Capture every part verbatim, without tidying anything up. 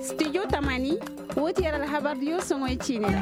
Studio tamani, woo ti yer alhabar diyo soŋoy ciini ra.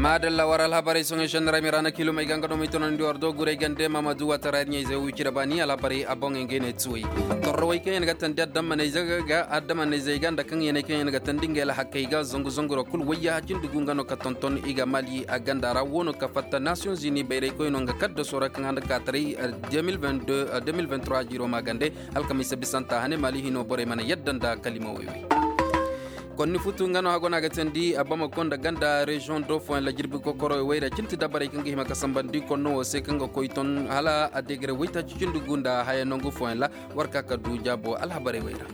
Maadalla war alhabarey soŋoy šenni ra ay ma ra na kilomey ga nga no ma i tonandi war do guray gande mamadu watara yer ɲayzey wo wicira baani alhabarey a boŋey ngey ne tuwey. Torrowey kaŋ yer ga tandi addamanayzey ga addamanayzey ga nda kaŋ yer ne kaŋ yer ga tandi ngey alhakey ga zangu zangu ra kul wayya cindi gu nga no ka tonton i ga mali a ganda ra wo no ka fatta nasiyoŋ zini bayraykoy no nga kaddaso ra kaŋ handa kaataray. Deux mille vingt-trois jiro maagande alkamiisa bisanta hane mali hino borey mana yadda nda kalima woy woy. Konni futu nga no hago no a ga teendi a bamako nda ganda reziyoŋ do fooyaŋ ra jirbi kokoro woy ra cinti dabarey kaŋ ga hima ka sambandi konno wo se kaŋ ga koy ton hala a degere woytaaci cindi gu nda haya nangu fooyaŋ ra. War ka ka du jaabo alhabarey woy ra.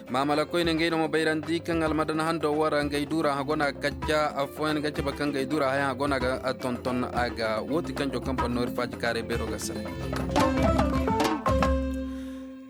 Maamala koyne ngey no ma bayrandi kaŋ almadan hando wara ngey duura hagona kacca afooyaŋ ga cabe kaŋ ngey duura hayaŋ hagona ga tonton a ga wooti kanjo kaŋ banno ir faaji kaaray beero ga saray.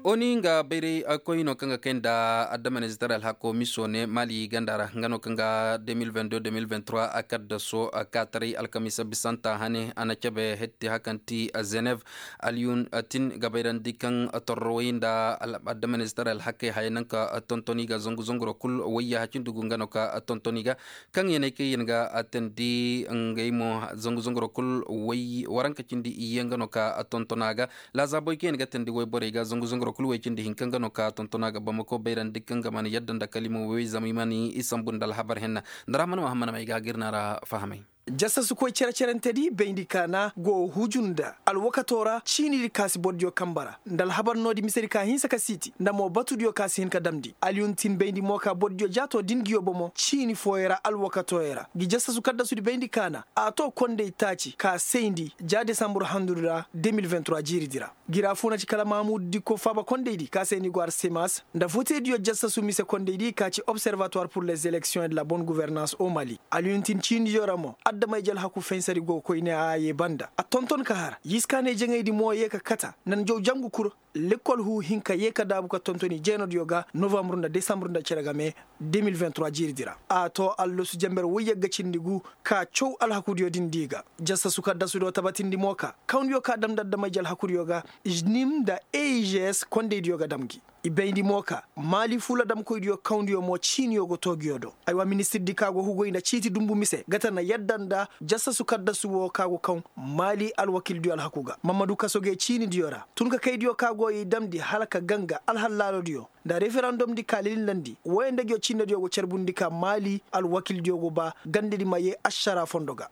Oni nga bayray koyno kaŋ ga kay nda addamanizitaray alhako miso ne mali ganda ra nga no kaŋ ga deux mille vingt-deux deux mille vingt-trois a kaddaso a kaataray alkamiisa bisanta hane a na cabe hetti hakanti a zenev. Aliyun tin ga bayrandi kaŋ torrowey nda addamanizitaray alhakey haya naŋ ka tontoni ga zangu zanguro kul wayya hacindi gu nga no ka tontoni ga kaŋ yer ne kaŋ yer ga teendi ngey mo zangu zanguro kul way waranka cindi iyye nga no ka tontona ga. Laazaabey kaŋ yer ga teendi wayborey ga zangu zanguro kul way cindi hinka nga no ka tontona ga bamako bayrandi kaŋ ga mana yadda nda kalima way zama i mana i sambu nda alhabar henna. Nda rahman mahammad may ga ga ir na ra fahamay. Jassasu koy cere-cerentedi bayndi kaana go huju nda alwakato ra ciinidi ka si bordiyo kamba ra nda alhabar noodi misedi ka hinsa ka siiti nda mo batudiyo ka si hin ka damndi aliyun tin bayndi mo ka bordiyo jaato din ngiyo bomo ciini fooyey ra alwakatoyey ra ngi jassasu kaddasudi bayndi kaana a to kondey taaci ka sayndi ja desambur handudi ra deux mille vingt-trois jiiridi ra. Gira funa ci kala mamudu dikko faaba kondaydi ka se ni go arsemas nda votediyo jassasu mise kondaydi ka ci observatoire pour les élections et de la bonne gouvernance au mali. Aliyuntin ciinidiyo ra mo addamayje alhaku fensari go koyne a ye banda a tonton ka har yiskaanay jaŋaydi mo ye ka kata nda njaw jangu kul. Lekkol hu hinka ye ka daabu ka tontoni jeenodiyo ga novambur nda desambur nda cere game deux mille vingt-trois jiiridi ra. A to allasu jamber woyyagga cindi gu ka caw alhakudiyo din di ga jassasu kaddasudo tabatindi mo ka kawndiyo ka damndi addamayje alhakudiyo ga nim nda eigs kondaydiyo ga dam gi. I bayndi mo ka maali fuula damkoydiyo kawndiyo mo ciiniyo go to giyo do. Aywa ministirdi ka go hugoy nda ciiti dumbu mise gata na yadda nda jassasu kaddasu wo ka go kaŋ maali alwakildiyo alhaku ga mammadu kaso ge ciinidiyo ra tun ka kaydiyo ka go i damndi hala ka ganga alhallaarodiyo nda referandom di ka lililandi woyandegyo cinnediyo go carbundi ka maali alwakildiyo go ba gandedi ma ye ašara fondo ga.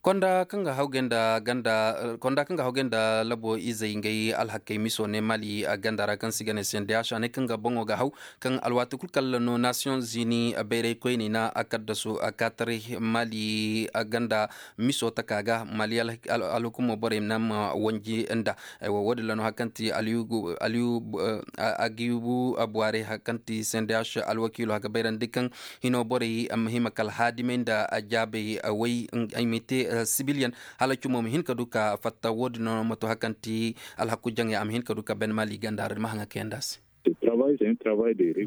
Konda kaŋ ga hawgay nda ganda konda kaŋ ga hawgay nda labo izey ngey alhakey miso ne mali a ganda ra kaŋ si ga ne sendeyaš a ne kaŋ ga boŋo ga haw kaŋ alwaati kul kala no nasiyoŋ zini bayraykoyney na a kaddasu a kaataray mali a ganda miso taka ga mali alhukumo borey na ma wanji nda. Aywa wo- din ra no hari kaŋ ti aliyu agibu buwaarey hari kaŋ ti sendeyaš alwakiilo a ga bayrandi kaŋ hino borey a ma hima kala haadimey nda jaabey way ay ma te sibiliyaŋ hala cumo ma hin ka du ka fatta wo- din no ma to hari kaŋ ti alhaku jaŋey a ma hin ka du ka ben mali ganda ra da ma haŋa kayandi a se.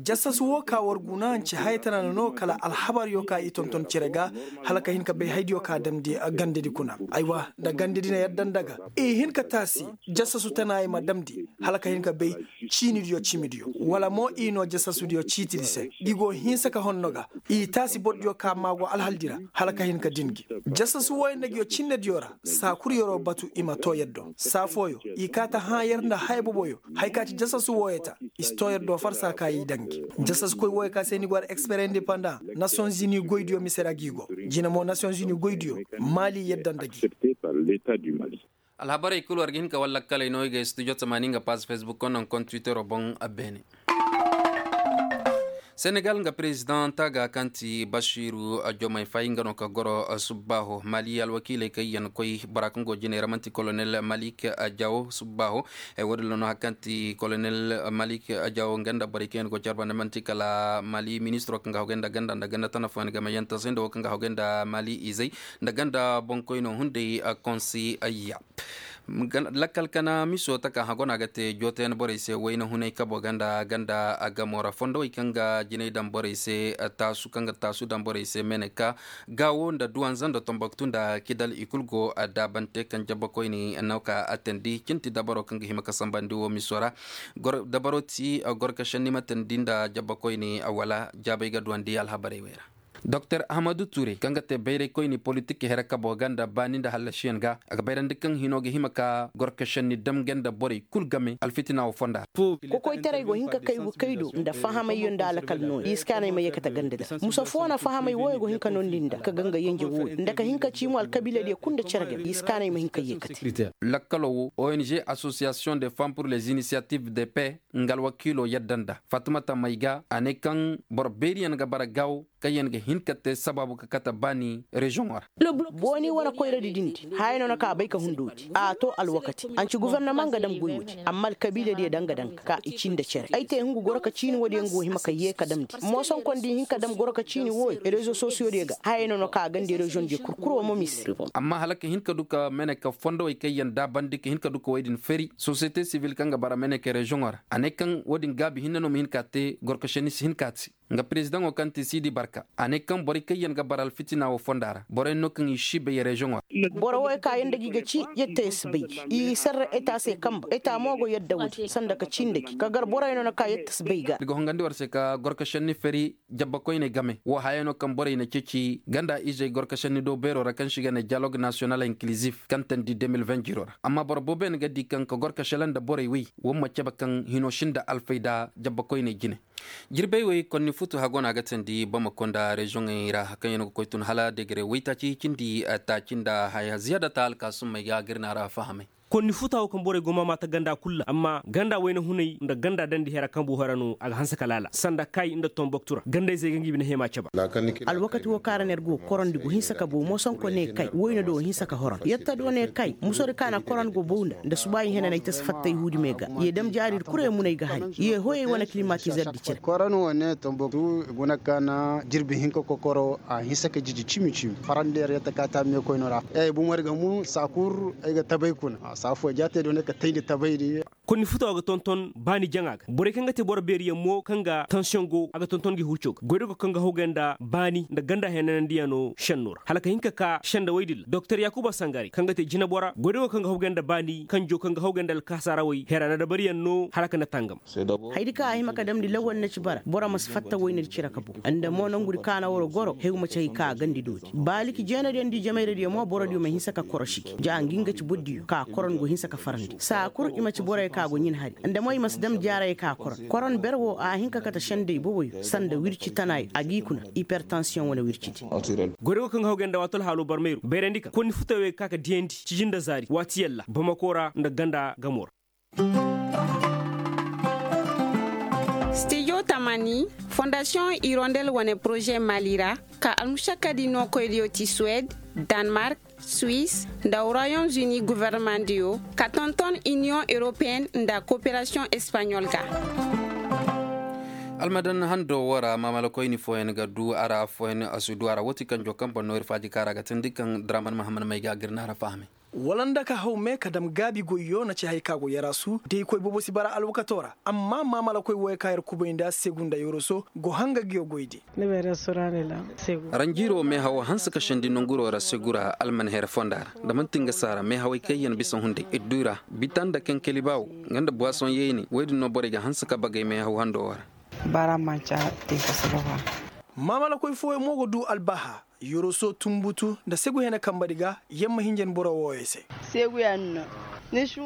Jassasu wo ka war guna nce haya tana no kala alhabaryo ka i tonton cere ga hala ka hin ka bay haydiyo ka damndi gandedi kuna aywa nda gandedi na yadda nda ga i hin ka taasi jassasu tanaayey ma damndi hala ka hin ka bay ciinidiyo cimidiyo wala mo i no jasasudiyo ciitidi se ngi go hinsa ka honno ga i taasi bordiyo ka maa go alhaldi ra hala ka hin ka din gi. Jasasu wooyo nda ngiyo cinnediyo ra saa kul yer'o batu i ma too yer do saa fooyo i kaa ta hãa yer nda haya boboyo haya ka ci jasasu wooyo ta i si too yer do farsa ka i daŋ gi. Jasasukoy wooyo ka se ni go ara expere indepanda nasiyonzini goydiyo mise ra gi go jina mo nasiyonzini goydiyo maali yadda nda gi. Alhabarey kul war ga hin ka war lakkaley no i ga studio tamaani nga paaz fesbuk kono nda kont twittero boŋ. Beene senegal nga perezidaŋ taaga kaŋ ti basiiru jomay fay nga no ka goro subbaaho maali alwakiiley kaŋ yaŋ koy bora kaŋ go jiney ra man'ti kolonel malik jawo subbaaho. Wo- din ra no hari kaŋ ti kolonel malik jawo nga nda borey kaŋ yaŋ go care banda man'ti kala maali ministiro kaŋ ga hawgay nda ganda nda ganda tana fooyaŋ game yaŋ tasay nda wo kaŋ ga hawgay nda maali izey nda ganda boŋkoyno hunday. Konsi ayya Lakkal kana miso taka hagona ga te jootayan borey se wayna hunay kabo ganda ganda a gamo ra fondowey kaŋ ga jinay daŋ borey se, taasu kaŋ ga taasu daŋ borey se meneka, gaawo nda duwanza nda tomboktu nda kidal i kul go daabante kaŋ jabbakoyni no ka atandi cinti dabaro kaŋ ga hima ka sambandi wo miso ra. Dabaro ti gorkašandi matandi nda jabbakoyni wala jaabay ga duwandi alhabarey wey ra. Doktor ahmadu ture kaŋ ga te bayraykoyni politik here kabo ga nda baani nda hallasiyaŋ ga a ga bayrandi kaŋ hino ga hima ka gorkašandi dam ga nda borey kul game alfitina wo fonda ra. Kokoytaray go hin ka kay ga kay do nda fahamayyaŋ nda alakal nooya i si kaanay ma yeekate ganda da musa fo na fahamay wooyo go hin ka noondi nda ka ga nga yenje wooyo nda ka hin ka ci mo alkabiiladiyo kul nda cere game i si kaanay ma hin ka yeekate. Lakkalo wo ong association de femme pour les initiatives de paix nga alwakiilo yadda nda fatumata may ga a ne kaŋ boro beeriyaŋ ga bara gaawo kaŋ yaŋ ga hin ka te sabaabu ka kate baani reziyoŋo ra. Booni wane koyradi din di haya no na ka a bay ka hundoodi a to alwakati anci gofornamaŋ ga dam goy woodi amma alkabiiladiyo daŋ ga daŋ ka i ci nda cere ay te hungu goro ka ciini woodiyo nga wo hima ka yee ka damndi moosonkon da i hin ka dam goro ka ciini wooyo rezo sosiyodiyo ga haya no na ka a gandi reziyoŋdiyo kurkuro mo mise. Amma hala ka hin ka du ka mene ka fondowey kaŋ yaŋ daabandi ka hin ka du ka woy din feri sosiyete sibil kaŋ ga bara mene ka reziyoŋo ra a ne kaŋ woodin gaabi hinne no ma hin ka a te gorkašani si hin ka a te. Nga perezidaŋo kaŋ ti siidi barka a ne kaŋ borey kaŋ yaŋ ga bara alfitina wo fonda ra borey no kaŋ i si bay reziyoŋo ra. Boro wo ye ka yaŋ da gi ga ci yetta ye si bay gi i sarra eta se kamba eta mo go yadda woodi sanda ka ci nda gi ka gar borey no na ka yetta si bay ga. Ni ga hongandi war se ka gorkašani feri jabbakoyney game wo haya no kaŋ borey na ceeci ganda izey gorkašani do beero ra kaŋ se i ga ne diyalog nasiyonal inkilizif kaŋ tandi deux mille vingt jiro ra amma boro boobo yaŋ ga di kaŋ ka gorkašala nda borey wey wo ma cabe kaŋ hino sinda alfayda jabbakoyney jine. Jirbey wey konni futu hago no a ga teendi bamako nda reziyoŋey ra kaŋ yaŋ ga koy tun hala degere waytaaci cindi taaci nda haya ziyaada ta alkaasummey ga ga ir na a ra fahamay. Konni futa wo kaŋ borey go maama ta ganda kul ra amma ganda wayna hunay nda ganda dandi hera kambu hera no a ga hanse ka laala sanda kay nda tomboktu ra gandayzey ga ngi bine hema caba. Alwakati wo kaŋ ra no yer go korandi go hinsa ka bow moosonko ne kay wayna do hinsa ka horon yetta do ne kay musori ka na koron go bow nda nda subaayi hena no ay ta si fatta ihuudi me ga ye dam jaari ir kura ye munay ga hari ye hoyey wane kilimatizar di cere. Koron wane tomboktu guna ka na jirbi hinka kokoro a hinsa ka jiji cimi cimi farandi yer yetta ka ta meekoyno ra ay bumari ga mun saakur ay ga tabay kuna saafo jaatey do ne ka tayndi tabaydi. Konni futa wo ga tonton baani jaŋa ga borey kaŋ ga te boro beeriyaŋ mo kaŋ ga tansiyoŋ go a ga tonton gi hurco ga goydogo kaŋ ga hawgay nda baani nda ganda henanandiyano senno ra hala ka hin ka ka senda woy din ra doktor yaakuba sangare kaŋ ga te jinabora goydogo kaŋ ga hawgay nda baani kanjo kaŋ ga hawgay nda alkaasarawey hera na dabariyaŋ no hala ka na tangam. Haydi kaŋ a hima ka damndi lawal na ci bara boro ma si fatta woy na di cire ka bow nda mo nongudi kaana woro goro hew ma ci hay ka a gandi doodi baaliki jeenadiyo nda ijemayradiyo mo borodiyo ma hinsa ka korosi gi ja ngi nga ci bordiyo ka koron go hinsa ka farandi saa kul i ma ci borey ka go ɲin hari nda mo i ma si dam jaarey ka koron koron ber wo a hin ka kate sendey boboyo sanda wirci tanayo a g'i kuna hipertansiyoŋ wane wircidi. Goydogo kaŋ ga hawgay nda waati alhaalo barmayru bayrandi ka konni futawey ga ka ka diyandi ciji nda zaari waati yalla bamako ra nda ganda gamo ra. Stijo tamani fondasiyoŋ irondel wane poroze mali ra ka almušakkadi nookoydiyo ti suwed, danmark, suwis, nda royaume uni gofornamaŋdiyo ka tonton iniyoŋ europeen nda koperasiyoŋ espaɲol ga. Almadan hando wo ra maamalakoyni fooyaŋ ga du a ra fooyaŋ a si du a ra wooti kaŋ jo kaŋ boŋ no ir faaji kaŋ a ra ga teendi kaŋ draman mahammad may ga a ga ir na a ra fahamay. Wala nda ka haw me ka dam gaabi goyyo na ci hay ka go yaraasu da i koy boobo si bara alwakato ra amma maamalakoy wooyo kaŋ yer kubay nda segu nda yoroso go hanga ga yo goy de. Ranjiiro meehaw hanse ka sendi nonguro ra segu ra alman here fonda ra da manti nga saara meehawey kaŋ yaŋ bisa hunday ir du i ra bita nda kankali baawo nga nda buwasoŋ yayne woy din no borey ga hanse ka bagay meehaw hando wo ra. Maamalakoy fooyaŋ mo ga du albaaha yoroso tunbutu nda segu hene kambadi ga yamma hinja ni boro wooyo se.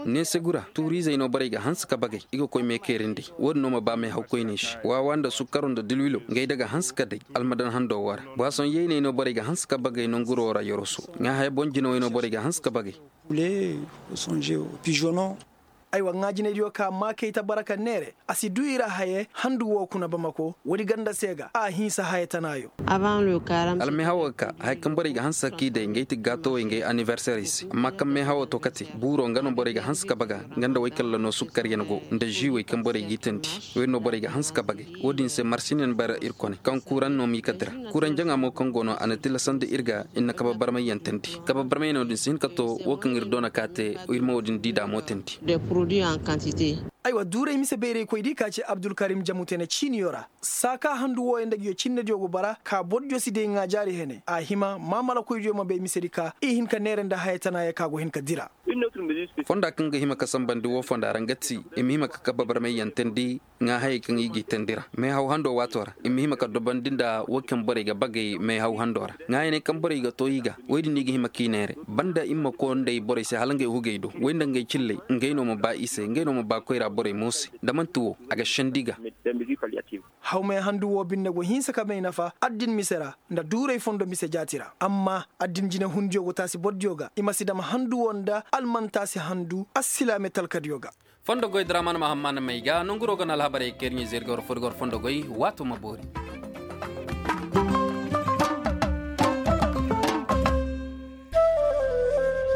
Neesegu ra tuuriizey no borey ga hanse ka bagay i ga koy meekeerindi wo-din no ma ba meehawkoyney se waawa nda sukkaro nda dilwilo ngey da ga hanse ka day almadan hando wo ra buwasoŋ yayney no borey ga hanse ka bagay nonguro ra yoroso ŋaahaya boŋ jinawey no borey ga hanse ka bagay. Aywa ŋaajinaydiyo ka maakey ta bara ka neere a si du i ra haye handu woo kuna bamako woodi ganda se ga a hinsa haye tanaayo. Almay hawo ga ka haya kaŋ borey ga hanse ka k'i day ngey ti gaatowey ngey anniverserey se amma kaŋ may hawo to kate buuro nga no borey ga hanse ka baga nga nda woy kaŋ la no sukkaryaŋ go nda žiiwey kaŋ borey g'i teendi. Woy no borey ga hanse ka bagey. Woodin se marsineyaŋ bara ir kone kaŋ kuuraŋ no m'i ka dira. Kuuraŋ jaŋa mo kaŋ go no a na tilasandi ir ga ir na kabe barmayyaŋ teendi kabe barmayyaŋo din si hin ka to wo kaŋ ir doona ka te. Ir ma woodin di daamoo teendi. Aywa duuray mise bayraykoy di ka ci abdulkarim jamutene ciiniyo ra. Saaka handu wooyaŋ nda nguyo cinnediyo go bara ka bordiyo si day ŋaajaari hene a hima maamalakoydiyo ma bay misedi ka i hin ka neere nda haya tanaayo ka go hin ka dira. Fonda kaŋ ga hima ka sambandi woo fonda ra nga ti i ma hima ka kabe barmayyaŋ teendi. Ŋaa hayey kaŋ i g'i teendi ra meehaw hando waatoo ra i ma hima ka dobandi nda woo kaŋ borey ga bagey meehaw hando ra. Ŋaayaney kaŋ borey ga too i ga woy din no i ga hima k'i neere banda i ma koo nda i borey se hala ngey hugey do woy nda ngey cilley ngey no ma ba i se ngey no ma ba koyra borey mo se nda man'ti woo a ga sendi ga. Hawmay handu woo binde go hinsa ka may nafa addin mise ra nda duuray fondo mise jaati ra amma addin jinehundiyo go taasi bordiyo ga i ma si dam handu woo nda almantaasi handu assilaame talkadiyo ga. Fondo goy draman mahamman may ga nonguroo ga na alhabarey kayri ɲizey ir ga war foo ir ga war fondo goy. Waatoo ma boori.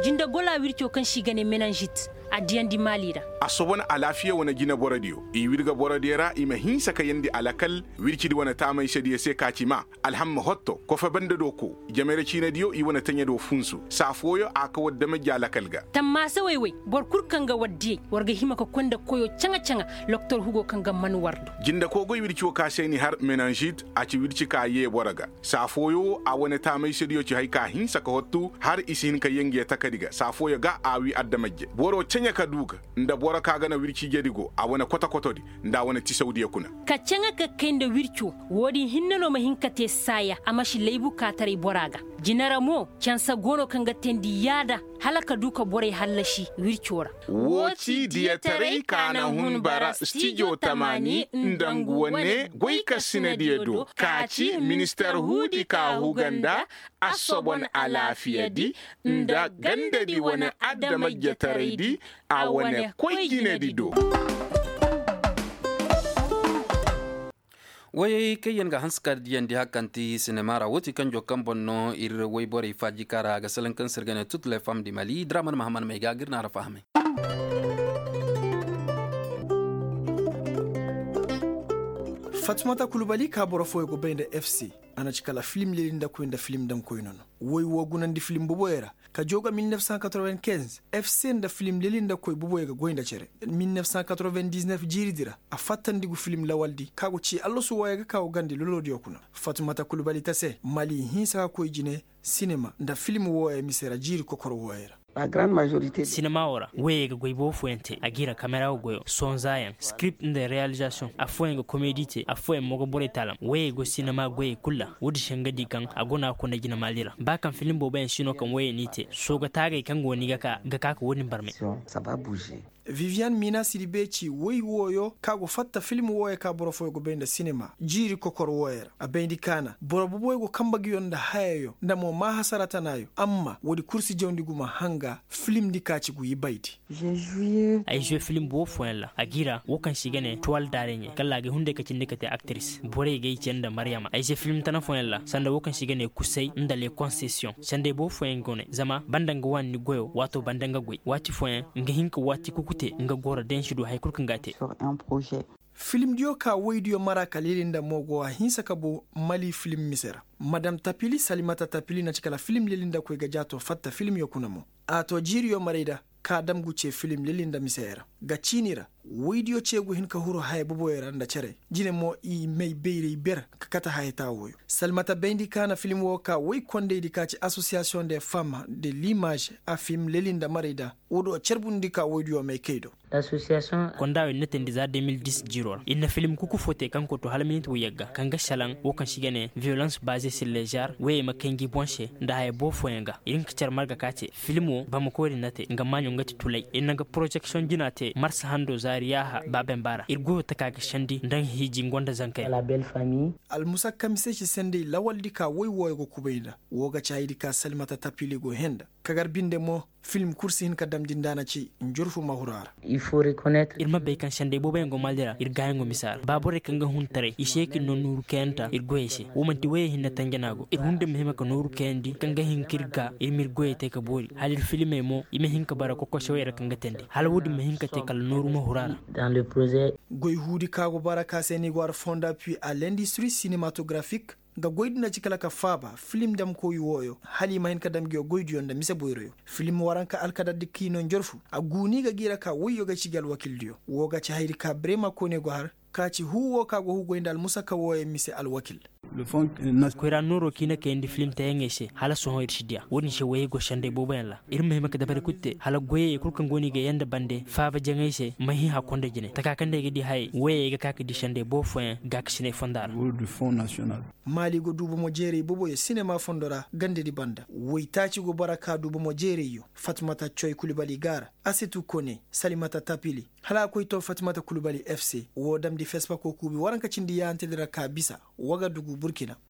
Jinde gola wirco kaŋ se i ga ne menanžit a diyandi maali ra. Assobon alaafiya wane jineborodiyo i wirga borodiyo ra i ma hinsa ka yeendi alakal wircidi wane taamaysediyo se ka ci maa alhamma hotto kofe banda do ko jamayra ciinadiyo i wane taɲa do funsu saa fooyo a ka war damajja alakal ga. Tammaasa woy woy boro kul kaŋ ga war diyey war ga hima ka koy nda koyo caŋa-caŋa. Loktor hugo kaŋ ga man war do. Jinde koogoy wirci wo ka se ni har menanžit a ci wirci ka yee boro ga saa fooyo wo a wane taamaysediyo ci haya ka hinsa ka hottu har i si hin ka yee nge takadi ga saa fooyo ga a wii adamajje boro caɲa ka du ga nda boro ka ga na wirci jedi go a wane koto-kotodi nda a wane tisawdiyo kuna. Ka caŋa ka kay nda wirco. Woodin hinne no ma hin ka te saaya a ma si laybu kaataray bora ga. Jine ra mo cansa go no kaŋ ga teendi yaada hala ka du ka borey hallasi wirco ra. Woo ci diyataray ka na hun bara stijo tamaani nda ngu wane goykasinadiyo do ka ci minister huudi ka huga nda assobon alaafiyadi nda gandadi wane adamajjataraydi a wane koy jinedi do. Wayey kaŋ yaŋ ga hanse ka diyandi hari kaŋ ti sinema ra woo ti kanjo kaŋ boŋ no ir wayborey faajika ra a ga salaŋ kaŋ se ir ga ne tut le fam di mali draman mahaman may ga ga ir na a ra fahamay. Fatumata kulubali ka boro fooyo go bay nda fc. A na ci kala filim lelindakoy nda filim daŋkoy no no. Woy woo gunandi filim boboyo ra ka joo ga mil nef san katroven kenz. Fc nda filim lelindakoy boboyo ga goy nda cere. Mil nef san katroven diznef jiiridi ra a fattandi gu filim lawaldi ka go ci allasu wooyo ga ka go gandi lolodiyo kuna. Fatumata kulubali ta se mali hinsa ka koy jine sinema nda filim wooyo mise ra jiiri kokor wooyo ra. Sinema woo ra woyey ga goy boobo fooyaŋ te a g'i ra kamera goyo sonzaayaŋ skript nda realizasiyoŋ affooyaŋ ga komedi te affooyaŋ mo ga borey taalam woyey go sinema goyey kul ra. Woodin se nga di kaŋ a go no a ga koy nda jina maali ra ba kaŋ filim booboyaŋ si no kaŋ woyey n'i te sooga taagey kaŋ go no i ga ka ga ka ka woodin barmay. Vivian mina siribe ci woy wooyo ka go fatta film wooyo ka boro fooyo go bay nda sinema jiiri kokor wooyo ra a bayndi kaana boro boboyo go kambe nguyo nda hayayo nda mo maa hasara tanaayo amma woodi kul si jawndi gumo hanga. Film di ka ci ngu ibaydi. Ay zuwe film boobo fooyaŋ ra a g'i ra woo kaŋ se i ga ne tuwal daareɲe kala a ga ay hunday ka cindi ka te aktris borey ga ay ce nda maryama ay zuwe film tana fooyaŋ ra sanda woo kaŋ se i ga ne kusay nda le konsesiyoŋ sandey boobo fooyaŋ go ne zama banda nga waani ni goyo waato banda nga goy waati fooyaŋ nga hin ka waati kuku te nga goro day ni si du hari kul kaŋ ga a te. Filimdiyo ka woydiyo mara ka lelinda mo go a hinsa ka bu mali filim mise ra. Madam tapili salimata tapili na ci kala filim lelindakoy ga jaato fatta filimyo kuna mo. A to jiiriyo maray da ka dam gu ce filim lelinda misey ra ga ciini ra. Woydiyo ce gu hin ka huru haya boboyo ra nda cere jine mo i may bayray ber ka kate haya taawoyo. Salimata bayndi ka na filim wo ka woy kondaydi ka ci asosiyasiyoŋ de fam de limaz a fim lelinda maray da. Woo do carbundi ka woydiyo may kay do. Konda wey na teendi za de mil dis jiiro ra ir na filim kuku fo te kaŋ koy to hala minit wayyaŋ ga kaŋ ga salaŋ woo kaŋ se i ga ne viyolans baaze sir lezer woyey ma kay ngi boŋ se nda haya boobo fooyaŋ ga ir hin ka care marga ka ce filim wo bamako ir na te nga maaɲo nga ti tulay ir na nga porozeksiyoŋ jina te marsa hando zaari yaaha baaben baara ir goyo taka ga sendi nda nga hiiji nga nda zankey. Almusakka mise si sendey lawaldi ka woy wooyo ga kubay nda woo ga caayidi ka salmata tapili go henda kagar binde mo. Film kul si hin ka damndi nda a na ci njurfu ma huru a ra. Ir ma bay kaŋ sendey booboyaŋ go maali ra ir gaayaŋo misa ra ba borey kaŋ ga hun taray i se ka ir no nooru kayanta ir goyey se. Wo man'ti woyey hinne tanja no a go ir hunday ma hima ka nooru kayandi kaŋ ga hin ka ir ga ir ma ir goyey te ka boori hala ir filimey mo i ma hin ka bara kokosewey ra kaŋ ga teendi hala woodin ma hin ka te kala nooru ma huru a ra. Goy huudi ka go bara ka se ni go har fonda pui a lendistri sinematografik, nga goy din na ci kala ka faaba filim damkoy wooyo hala i ma hin ka dam nguyo goydiyo nda mise boyroyo. Filim waranka alkadar di kiino njorfu a guuni ga gi ra ka woyyo ga ci gi alwakildiyo woo ga ci hayadi ka brema koone go har ka ci huu woo ka go hugay nda almusaka wooyo mise alwakil. Koyra nooroo ka i na kayandi filim teyaŋey se hala sohõ ir si diya woodin se woyey go sendey booboyaŋ ra. Ir ma hima ka dabari kul te hala goyey kul kaŋ go no i ga yee nda bande faaba jaŋay se ma hin hakkoy nda jine taka kaŋ nda ay ga di hayey woyey ay ga ka ka di sendey boobo fooyaŋ gaakasiney fonda ra. Maali go du bomo jeeray booboyo sinema fondo ra gandadi banda woytaaci go bara ka du bomo jeerayyo. Fatmata coy kulibali ga a ra, asetu kone, salimata tapili, hala a koy too fatmata kulibali fc. Woo damndi fesbako kuubi waranka cindi yaahantedi ra ka bisa. Wagadugu burkina.